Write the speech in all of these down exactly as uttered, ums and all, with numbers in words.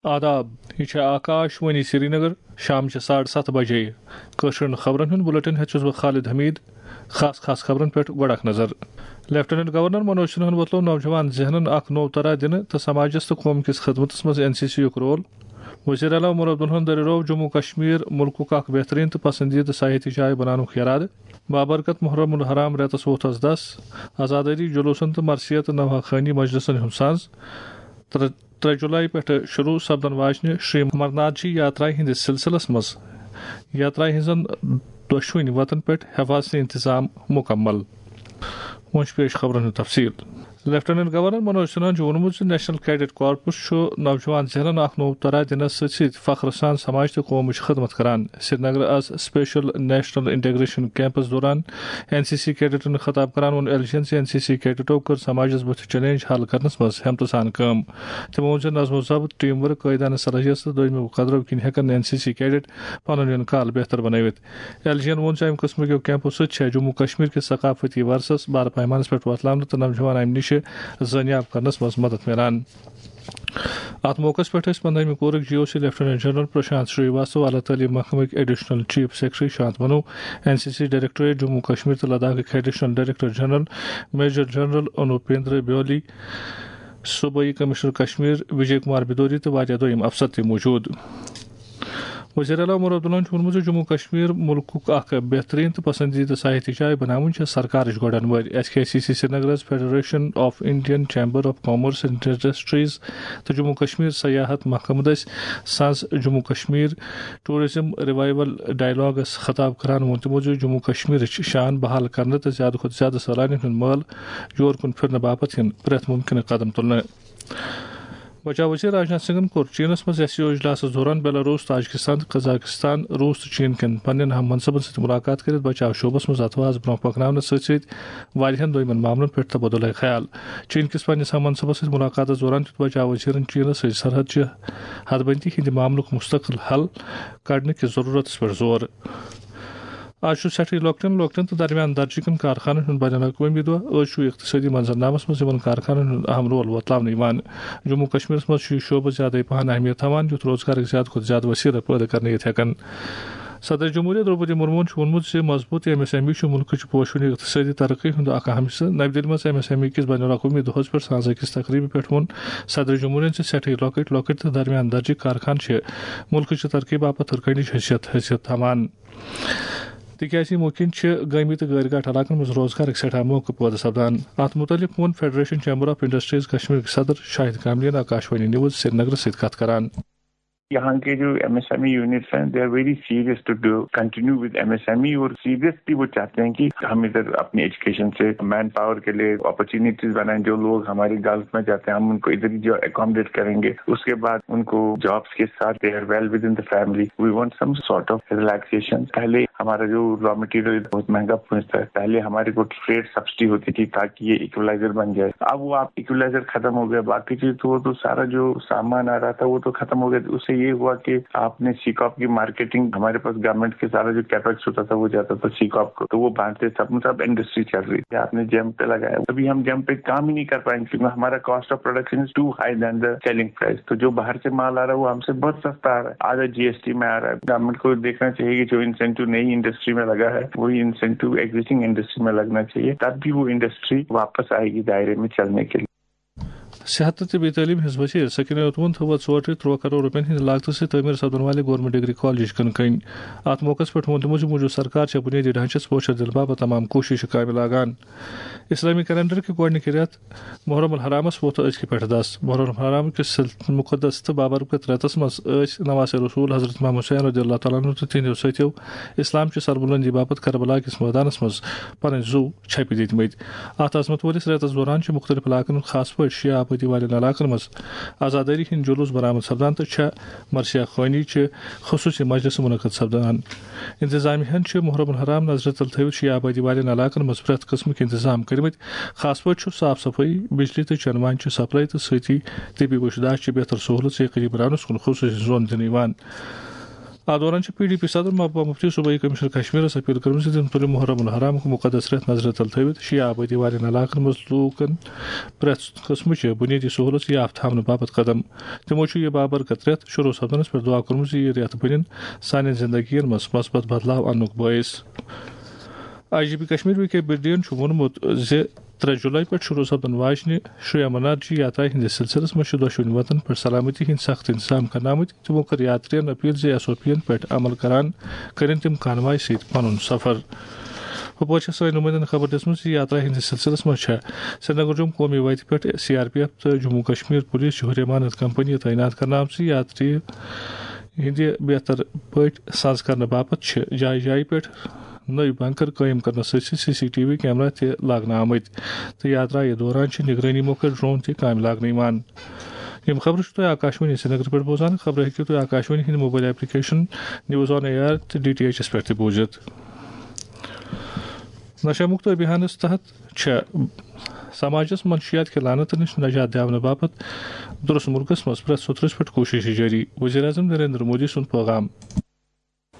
آداب، یہِ چھےٚ آکاش وانی سرینگر۔ شام چہِ ساڑٕ ستھ بجے۔ کٲشرٮ۪ن خبرن ہُنٛد بُلٹن ہٮ۪تھ چھُس بہٕ خالد حمید۔ خاص خاص خبرن پٮ۪ٹھ گۄڈٕ اکھ نظر۔ لیفٹیننٹ گورنر منوج سنہاہن وۄتلوو نوجوان ذہنن اکھ نوٚو طرح دِنہٕ تہٕ سماجس تہٕ قوم کِس خدمتس منٛز این سی سی یُک رول۔ وزیر اعلیٰ عمر عبداللہن دٔریروو جموں کشمیر مُلکُک اکھ بہترین تہٕ پسندیدٕ سیاحتی جاے بناونُک ارادٕ۔ بابرکت محرم الحرام رٮ۪تس ووتھس دس۔ عزادٲری جلوسن تہٕ مرثیت تہٕ نوحہ خوانی مجلسن ہُنٛد ساز۔ ترٛےٚ ترٛےٚ جولائی پٮ۪ٹھٕ شروع سپدن واجنہِ شری امرناتھ جی یاترایہِ ہٕنٛدِس سلسلس منٛز یاترایہِ ہٕنٛزن دۄشوٕنی وتن پٮ۪ٹھ حفاظتی انتظام مکمل۔ وۄنۍ چھُ پیش خبرن ہُنٛد تفصیل۔ لیفٹیننٹ گورنر منوج سنہاہن چھُ ووٚنمُت زِ نیشنل کیڈٹ کارپس چھُ نوجوان ذہنن اکھ نوٚو طرح دِنس سۭتۍ سۭتۍ فخر سان سماج تہٕ قومٕچ خدمت کران۔ سرینگر آز اسپیشل نیشنل انٹیگریشن کیمپس دوران این سی سی کیڈٹن خطاب کران ووٚن ایل جی ین زِ این سی سی کیڈٹو کٔر سماجس بُتھِ چیلنج حل کرنس منٛز ہمتہٕ سان کٲم۔ تِمو ووٚن زِ نظم و ضبط، ٹیم ورک، قٲیدانہٕ صلاحیت تہٕ دوٚیمہِ قدرو کِنۍ ہٮ۪کن این سی سی کیڈٹ پنُن یُن کال بہتر بنٲوِتھ۔ ایل جی ین ووٚن زِ امہِ قٕسمٕکیو کیمپو سۭتۍ چھےٚ جموں کشمیر کِس ثقافتی ورثس بارٕ پیمانس پٮ۪ٹھ وۄتلاونہٕ تہٕ نوجوان امہِ نِشہِ زٲنیاب کرنس منٛز مدد میلان۔ اتھ موقعس پٮ۪ٹھ ٲسۍ پندہمہِ کورُک G O C lieutenant general Prashant Srivastava, اعلیٰ تعلیٖم محکمٕکۍ additional chief secretary Shant Manu, N C C directorate Jammu Kashmir تہٕ لداخٕکۍ additional director general major general Anupinder Bewli, صوبائی کمشنر کشمیر وجے کمار بدوری تہٕ واریاہ دوٚیِم افسر تہِ موجود۔ وزیر اعلیٰ عمر عبداللہن چھُ ووٚنمُت زِ جموں کشمیر مُلکُک اکھ بہترین تہٕ پسندیدٕ سیاحتی جاے بناوٕنۍ چھےٚ سرکارٕچ گۄڈٕنوٲرۍ۔ ایس کے سی سی سرینگرس federation of Indian chamber of commerce and industries تہٕ جموں کشمیر سیاحت محکمہٕ دٔسۍ سنز Jammu Kashmir tourism revival dialogues خطاب کران ووٚن تِمو زِ جموں کشمیرٕچ شان بحال کرنہٕ تہٕ زیادٕ کھۄتہٕ زیادٕ سٲلانین ہُنٛد مٲل یور کُن پھرنہٕ باپتھ یِن پرٛٮ۪تھ مُمکنہٕ قدم تُلنہٕ۔ بچاو وزیر راجناتھ سنگھن کوٚر چینس منٛز ایس سی او اجلاسس دوران بیلاروس، تاجکستان تہٕ قزاقستان، روس تہٕ چین کٮ۪ن پننٮ۪ن ہم منصبن سۭتۍ ملاقات کٔرِتھ بچاو شعبس منٛز اتھواز برونٛہہ پکناونس سۭتۍ سۭتۍ واریاہن دویمن معاملن پٮ۪ٹھ تبادلہ خیال۔ چین کِس پننِس ہم منصبس سۭتۍ ملاقاتس دوران دیُت بچاو وزیرن چینس سۭتۍ سرحد چہِ حدبندی ہٕنٛدِ معاملُک مستقل حل کڑنہٕ کِس ضرورتس پٮ۪ٹھ زور۔ آز چھُ سٮ۪ٹھٕے لۄکٹٮ۪ن لۄکٹٮ۪ن تہٕ درمیان درجہٕ کٮ۪ن کارخانن ہُنٛد بین الاقوٲمی دۄہ۔ أزۍ چھُ اقتصٲدی منظرنامس منٛز یِمن کارخانن ہُنٛد اہم رول وۄتلاونہٕ یِوان۔ جموں کشمیرس منٛز چھُ یہِ شعبہٕ زیادَے پہن اہمیت تھاوان، یُتھ روزگارٕکۍ زیادٕ کھۄتہٕ زیادٕ وسیلہٕ پٲدٕ کرنہٕ یِتھ ہٮ۪کن۔ صدر جمہوریہ درٛوپدی مرموٗن چھُ ووٚنمُت زِ مضبوٗط ایم ایس ایم ای چھُ مُلکٕچ پوشوٕنہِ اقتصٲدی ترقی ہُنٛد اکھ اہم حصہٕ۔ نَوِ دِلہِ منٛز ایم ایس ایم ای کِس بین الاقوٲمی دۄہس پٮ۪ٹھ سانٛز أکِس تقریٖبہِ پٮ۪ٹھ ووٚن صدر جمہوریہ زِ سٮ۪ٹھٕے لۄکٕٹۍ لۄکٕٹۍ تہٕ درمیان درجٕکۍ کارخانہٕ چھِ مُلکٕچہِ ترقی باپتھ ہُرۍ کٔنِچ حیثیت حیثیت تھاوان۔ تِکیازِ یِمو کِنۍ چھِ گٲمی تہٕ غٲرۍ گاٹھ علاقن منٛز روزگارٕکۍ سٮ۪ٹھاہ موقعہٕ پٲدٕ سپدان۔ اتھ مُتعلق ووٚن فیڈریشن چیمبر آف انڈسٹریز کشمیرٕکۍ صدر شاہد کاملین آکاشوانی نیوز سرینگرس سۭتۍ کتھ کران۔ یہاں کے جو M S M E units ہیں، they are very serious to do continue with M S M E، اور سیریسلی وہ چاہتے ہیں کہ ہم ادھر اپنی ایجوکیشن سے مین پاور کے لیے اپرچونیٹیز بنائیں۔ جو لوگ ہمارے گلف میں جاتے ہیں، ہم ان کو ادھر ہی جو اکوموڈیٹ کریں گے۔ اس کے بعد ان کو جابس کے ساتھ they are well within the family, we want some sort of relaxation۔ پہلے ہمارا جو را مٹیریل بہت مہنگا پہنچتا ہے، پہلے ہمارے کو ٹریڈ سبسڈی ہوتی تھی تاکہ یہ ایکولائزر بن جائے۔ اب وہ آپ ایکولائزر ختم ہو گیا، باقی چیز تو، وہ تو سارا جو سامان آ رہا تھا وہ تو ختم ہو گیا۔ اس سے یہ ہوا کہ آپ نے سی کاپ کی مارکیٹنگ، ہمارے پاس گورنمنٹ کے سارا جو کیپیکس ہوتا تھا وہ جاتا تھا سی کاپ کو، تو وہ باندھتے تھے، مطلب انڈسٹری چل رہی تھی۔ آپ نے جیم پہ لگایا، ابھی ہم جیم پہ کام ہی نہیں کر پائیں گے کیونکہ ہمارا cost of production is too high than the selling price۔ تو جو باہر سے مال آ رہا ہے وہ ہم سے بہت سستا آ رہا ہے، آدھا جی ایس ٹی میں آ رہا ہے۔ گورنمنٹ کو دیکھنا چاہیے کہ جو انسینٹیو، نئی انڈسٹری میں لگا ہے، وہی انسینٹیو ایگزسٹنگ انڈسٹری میں لگنا چاہیے، تب بھی وہ انڈسٹری واپس آئے گی دائرے میں چلنے کے لیے۔ صحت تہٕ طبی تعلیٖم ہٕنٛز وزیر سکینہ اوتمن تھٲو ژورٹرِ ترٛوہ کرور رۄپین ہٕنٛدِ لاگتہٕ سۭتۍ تعمیٖر سپدن والہِ گورنمنٹ ڈگری کالجٕچ کٕنہٕ کٔنۍ۔ اتھ موقعس پٮ۪ٹھ ووٚن تِمو زِ موٗجوٗدٕ سرکار چھےٚ بُنیٲدی ڈھانچس پوشر دِنہٕ باپتھ تمام کوٗششہٕ کامہِ لاگان۔ اسلامی کیلنڈر کہِ گۄڈٕنِکہِ رٮ۪تھ محرم الحرامس ووت أزکہِ پٮ۪ٹھ دس۔ محرم الحرام کِس سل-، مقدس تہٕ بابرکت رٮ۪تس منٛز ٲسۍ نواسہِ رسول حضرت امام حسین رضی اللہ تعالیٰ عنہ تہٕ تِہنٛدیو سۭتیو اسلام چہِ سربلندی باپتھ کربلا کِس مٲدانس منٛز پنٕنۍ زُو چھپہِ دِتمٕتۍ۔ اتھ عظمت وٲلِس رٮ۪تس دوران چھِ مُختٔلِف علاقن ہُنٛد، خاص پٲٹھۍ شیعہ آبٲدی والٮ۪ن علاقن منٛز، عزادٲری ہٕنٛدۍ جلوٗس برآمد سپدان تہٕ چھےٚ مرثیہ خوانی چہِ خصوٗصی مجلسہٕ منعقد سپدان۔ انتظامیہ ہن چھِ محرم الحرام نظرِ تل تھٲوِتھ شیعہ آبٲدی والٮ۪ن علاقن منٛز پرٛٮ۪تھ قٕسمٕکۍ انتظام کٔرمٕتۍ۔ خاص پٲٹھۍ چھُ صاف صفٲیی، بجلی تہٕ چٮ۪نہٕ وانہِ چہِ سپلاے تہٕ سۭتی طبی وُچھ داشہِ چہِ بہتر سہوٗلژ یقینی بناونس کُن خصوٗصی زون دِنہٕ یِوان۔ اتھ دوران چھِ پی ڈی پی صدر محبوبہ مفتی صوبٲئی کمشنر کشمیرس اپیل کٔرمٕژ زِ تِم تُلِن محرم الحرامُک مقدس رٮ۪تھ نظرِ تل تھٲوِتھ شیعہ آبٲدی والٮ۪ن علاقن منٛز لوٗکن پرٛٮ۪تھ قٕسمٕچہِ بُنیٲدی سہوٗلژ یافہٕ تھاونہٕ باپتھ قدم۔ تِمو چھُ یہِ بابرکت رٮ۪تھ شروع سپدنس پٮ۪ٹھ دعا کوٚرمُت زِ یہِ رٮ۪تھ بٔنِن سانٮ۪ن زندگین منٛز مثبت بدلاو اننُک بٲعث۔ I G P Kashmir V K بِردین چھُ ووٚنمُت زِ ترٛےٚ جولائی پٮ۪ٹھ شروع سپدن واجنہِ شیعہ منارجی یاترا ہٕنٛدِس سلسلس منٛز چھِ دۄشوٕنی وطن پٮ۪ٹھ سلامتی ہٕنٛدۍ سخت انتظام کرناونہٕ آمٕتۍ۔ تِمو کٔر یاترین اپیل زِ ایس او پی ین پٮ۪ٹھ عمل کران کٔرِن تِم کانوائے سۭتۍ پنُن سفر۔ ہُپٲرۍ چھےٚ سٲنۍ نُمٲیندن خبر دِژمٕژ زِ یاترا ہٕنٛدِس سلسلس منٛز چھےٚ سرینگرجوم قومی وتہِ پٮ۪ٹھ سی آر پی ایف تہٕ جموں کشمیر پولیس چہِ ہُریمانت کمپنی تعینات کرنہٕ آمژٕ۔ یاتری ہٕنٛدِ بہتر پٲٹھۍ سنٛز کرنہٕ باپتھ چھِ جایہِ جایہِ پٮ۪ٹھ نٔوۍ بنکر قٲیِم کرنس سۭتۍ سۭتۍ C C T V camera تہِ لاگنہٕ آمٕتۍ تہٕ یاترایہِ دوران چھِ نگرٲنی موکھٕ ڈرون تہِ کامہِ لاگنہٕ یِوان۔ یِم خبرٕ چھِو تُہۍ آکاشوانی سرینگر پٮ۪ٹھ بوزان۔ خبرٕ ہیٚکِو تُہۍ آکاشوانی ہٕنٛدِ mobile application news on AIR تہٕ ڈی ٹی ایچ ایس پٮ۪ٹھ تہِ بوٗزِتھ۔ نشہ مکت ابھیانس تحت چھےٚ سماجس منشیات کہِ لعنتہٕ نِش نجات دِونہٕ باپتھ درست ملکس منٛز پرٛٮ۪تھ سوٚترس پٮ۪ٹھ کوٗشش جٲری، وزیر اعظم نریندر مودی سُنٛد پیغام۔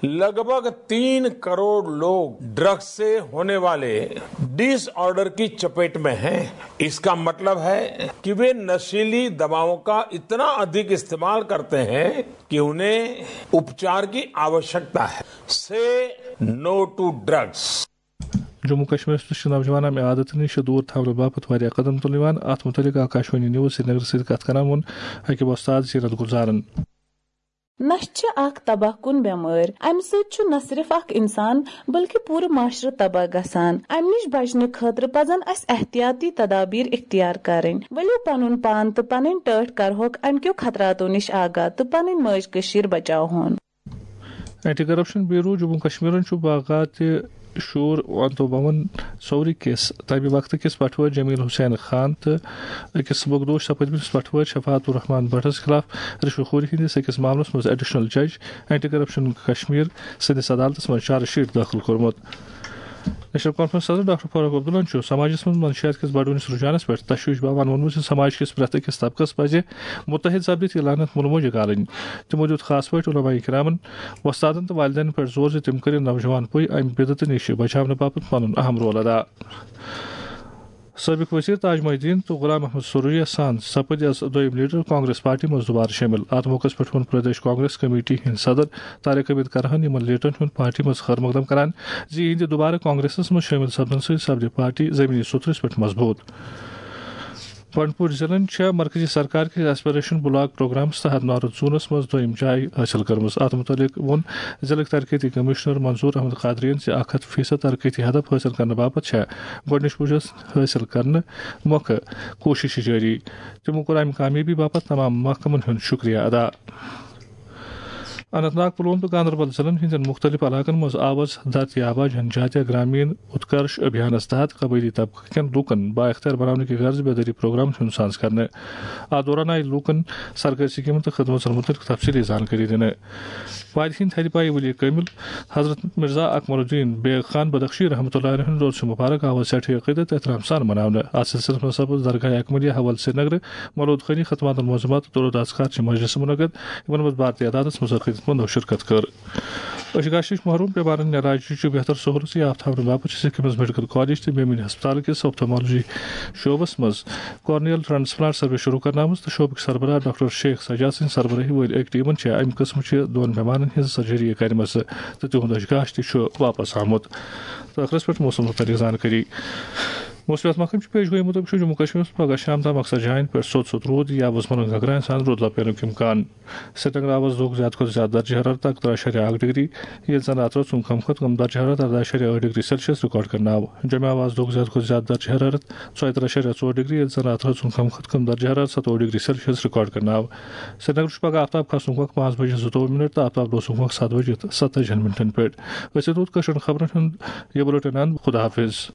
लगभग तीन करोड़ लोग ड्रग्स से होने वाले डिसऑर्डर की चपेट में हैं। इसका मतलब है कि वे नशीली दवाओं का इतना अधिक इस्तेमाल करते हैं कि उन्हें उपचार की आवश्यकता है। से नो टू ड्रग्स। جموں کشمیرس منٛز چھِ نوجوان امہِ عادتہٕ نِش دوٗر تھاونہٕ باپتھ واریاہ قدم تُلنہٕ یِوان۔ اتھ مُتعلق آکاشوانی نیوز سرینگر سۭتۍ کتھ کران ووٚن أکۍ وۄستاد زینت گلزارن۔ نشہٕ چھِ اکھ تباہ کُن بٮ۪مٲرۍ۔ امہِ سۭتۍ چھُ نہ صرف اکھ انسان بلکہِ پوٗرٕ معاشرٕ تباہ گژھان۔ امہِ نِش بچنہٕ خٲطرٕ پزن اسہِ احتیاطی تدابیر اختیار کرٕنۍ۔ ؤلِو پنُن پان تہٕ پنٕنۍ ٹٲٹھۍ کرہوکھ امہِ کیو خطراتو نِش آگاہ تہٕ پنٕنۍ مٲج کٔشیٖر بچاوہون۔ اینٹی کرپشن بیورو جموں کشمیرن چھُ باغات شور ونتو بھون سوری کِس تمہِ وقتہٕ کِس پٹھوٲرۍ جمیل حسین خان تہٕ أکِس بغدوش سپدمٕتِس پٹھوٲرۍ شفاعت الرحمان بٹس خلاف رشوت خوری ہٕنٛدِس أکِس معاملس منٛز ایڈیشنل جج اینٹی کرپشن کشمیر سٕنٛدِس عدالتس منٛز چارج شیٹ دٲخل کوٚرمُت۔ نیشنل کانفرنس صدر ڈاکٹر فاروق عبداللہن چھُ سماجس منٛز منشیات کِس بڑوٕنِس رجحانس پٮ۪ٹھ تشویش بھاوان ووٚنمُت زِ سماج کِس پرٛٮ۪تھ أکِس طبقس پزِ متحد سپدِتھ یہِ لعنت مُلہٕ مۄنجہِ گالٕنۍ۔ تِمو دیُت خاص پٲٹھۍ علماء کرامن، وۄستادن تہٕ والدینن پٮ۪ٹھ زور زِ تِم کٔرِن نوجوان پُے امہِ بدعتہٕ نِش بچاونہٕ باپتھ پنُن اہم رول ادا۔ سٲبِق وزیر تاج محی الدین تہٕ غلام محمد سوریا سان سپٕدۍ از دوٚیِم لیڈر کانگریس پارٹی منٛز دوبارٕ شٲمِل۔ اتھ موقعس پٮ۪ٹھ ووٚن پردیش کانگریس کمیٹی ہٕنٛدۍ صدر طارق حمید کرہن یِمن لیڈرن ہُنٛد پارٹی منٛز خٲر مقدم کران زِ یِہنٛدِ دوبارٕ کانگریسس منٛز شٲمِل سپدنہٕ سۭتۍ سپدِ پارٹی زمینی سوٚتھرِس پٮ۪ٹھ مضبوٗط۔ بنڈپور ضلعن چھےٚ مرکزی سرکار کِس ایسپریشن بلاک پروگرامس تحت نارتھ زونس منٛز دوٚیِم جاے حٲصِل کٔرمٕژ۔ اتھ مُتعلق ووٚن ضلعٕکۍ ترقیتی کمشنر منظور احمد قادریَن زِ اکھ ہتھ فیصد ترقیتی ہدف حٲصِل کرنہٕ باپتھ چھےٚ گۄڈٕنِچ پُشس حٲصِل کرنہٕ مۄکھٕ کوٗشش جٲری۔ تِمو کوٚر امہِ کامیٲبی باپتھ تمام محکمن ہُنٛد شُکریہ ادا۔ اننت ناگ، پلوۄم تہٕ گاندربل ضلعن ہٕنٛدٮ۪ن مُختٔلِف علاقن منٛز آواز دھرتی آبا جن جاتیہ گرامین اتکرش ابھیانس تحت قبٲیلی طبقہٕ کٮ۪ن لوٗکن بااختیار بناونہٕ کہِ غرضہٕ بیدٲری پروگرام ہُنٛد ساز کرنہٕ۔ اتھ دوران آیہِ لوٗکن سرکٲرۍ سکیمن تہٕ خدمژن مُتعلق تفصیٖلی زانکٲری دِنہٕ۔ وادی ہٕنٛدۍ تھدِ پایہِ ولی کٲمل حضرت مرزا اکمل الدین بیگ خان بدخشی رحمتہ اللہ علیہ ہُنٛد عرس مبارک آو سٮ۪ٹھٕے عقیدت تہٕ احترام سان مناونہٕ۔ اتھ سلسلس منٛز سپُد درگاہ اکملیہ حوالہٕ سرینگرٕ مولود خٲنی، ختمات المعظمات تہٕ درود اذکار چہِ مجلسہٕ منعقد، یِمن منٛز بھارتی عدادس منٛز عقیدت مندو شرکت کٔر۔ أچھ گاشِش محروم بیمارن علاج چہِ بہتر سہولژ یافت تھاونہٕ باپتھ چھِ سکھ ہِمز میڈیکل کالج تہٕ بیمٲنی ہسپتال کِس آپتھالمولوجی شعبس منٛز کارنیل ٹرانسپلانٹ سروس شروع کرنہٕ آمٕژ تہٕ شعبٕکۍ سربراہ ڈاکٹر شیخ سجاد سٕنٛدِ سربراہی وٲلۍ أکۍ ٹیمن چھِ امہِ قٕسمہٕ چہِ دۄن بیمارن ہٕنٛز سرجری کرِمژٕ تہٕ تِہُنٛد أچھ گاش تہِ چھُ واپس آمُت۔ تہٕ ٲخرس پٮ۪ٹھ موسم مُتعلق زانکٲری۔ موسمیات محکمہٕ چہِ پیش گویی مُطٲبِق چھُ جموں کشمیرس منٛز پگہہ شام تام اکثر جاین پٮ۪ٹھ سوٚت سوٚت روٗد یا وُزملن گگراین سان روٗد لپینُک امکان۔ سرینگر آو از دۄہُک زیادٕ کھۄتہٕ زیادٕ درجہ حرارت اکترٕہ اَشاریہ اکھ ڈگری، ییٚلہِ زن راتہٕ رٲژ ہُنٛد کم کھۄتہٕ کم درجہ حرارت ارداہ اَشاریہ ٲٹھ ڈگری سیلسیس ریکارڈ کرنہٕ آو۔ جمہِ آو از دۄہُک زیادٕ کھۄتہٕ زیادٕ درجہ حرارت ژۄیہِ ترٕہ اَشاریہ ژور ڈگری، ییٚلہِ زن راتہٕ رٲژ ہُنٛد کم کھۄتہٕ کم درجہ حرارت ستووُہ ڈگری سیلسیس ریکارڈ کرنہٕ آو۔ سرینگر چھُ پگہہ آفتاب کھسنُک وقت پانٛژھ بجے زٕتووُہ منٹ تہٕ آفتاب لوسنُک وقت ستھ بجے تہٕ ستتٲجی ہن منٹن پٮ۪ٹھ۔ أسۍ واتو کٲشرٮ۪ن خبرن ہُنٛد یہِ بُلیٹن اند۔ خدا حافظ۔